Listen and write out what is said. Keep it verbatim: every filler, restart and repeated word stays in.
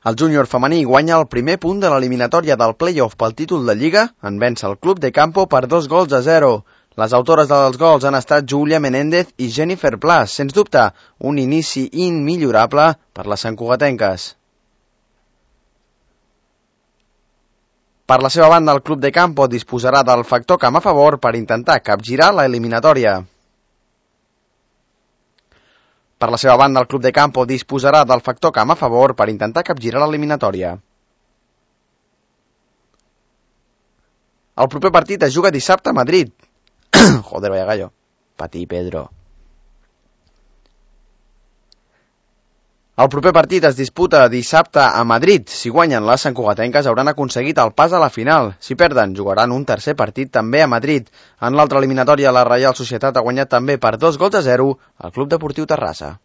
El júnior femení guanya el primer punt de l'eliminatòria del play-off pel títol de Lliga en vèncer el Club de Campo per dos gols a zero. Les autores dels gols han estat Júlia Menéndez i Jennifer Plas, sens dubte, un inici immillorable per les santcugatenques. Per la seva banda, el Club de Campo disposarà del factor camp a favor per intentar capgirar l'eliminatòria. Per la seva banda, el Club de Campo disposarà del factor camp a favor per intentar capgirar l'eliminatòria. El proper partit es juga dissabte a Madrid. Joder, vaya gallo. Patí, Pedro. El proper partit es disputa dissabte a Madrid. Si guanyen les santcugatenques hauran aconseguit el pas a la final. Si perden, jugaran un tercer partit també a Madrid. En l'altra eliminatòria, la Reial Societat ha guanyat també per dos gols a zero al Club Deportiu Terrassa.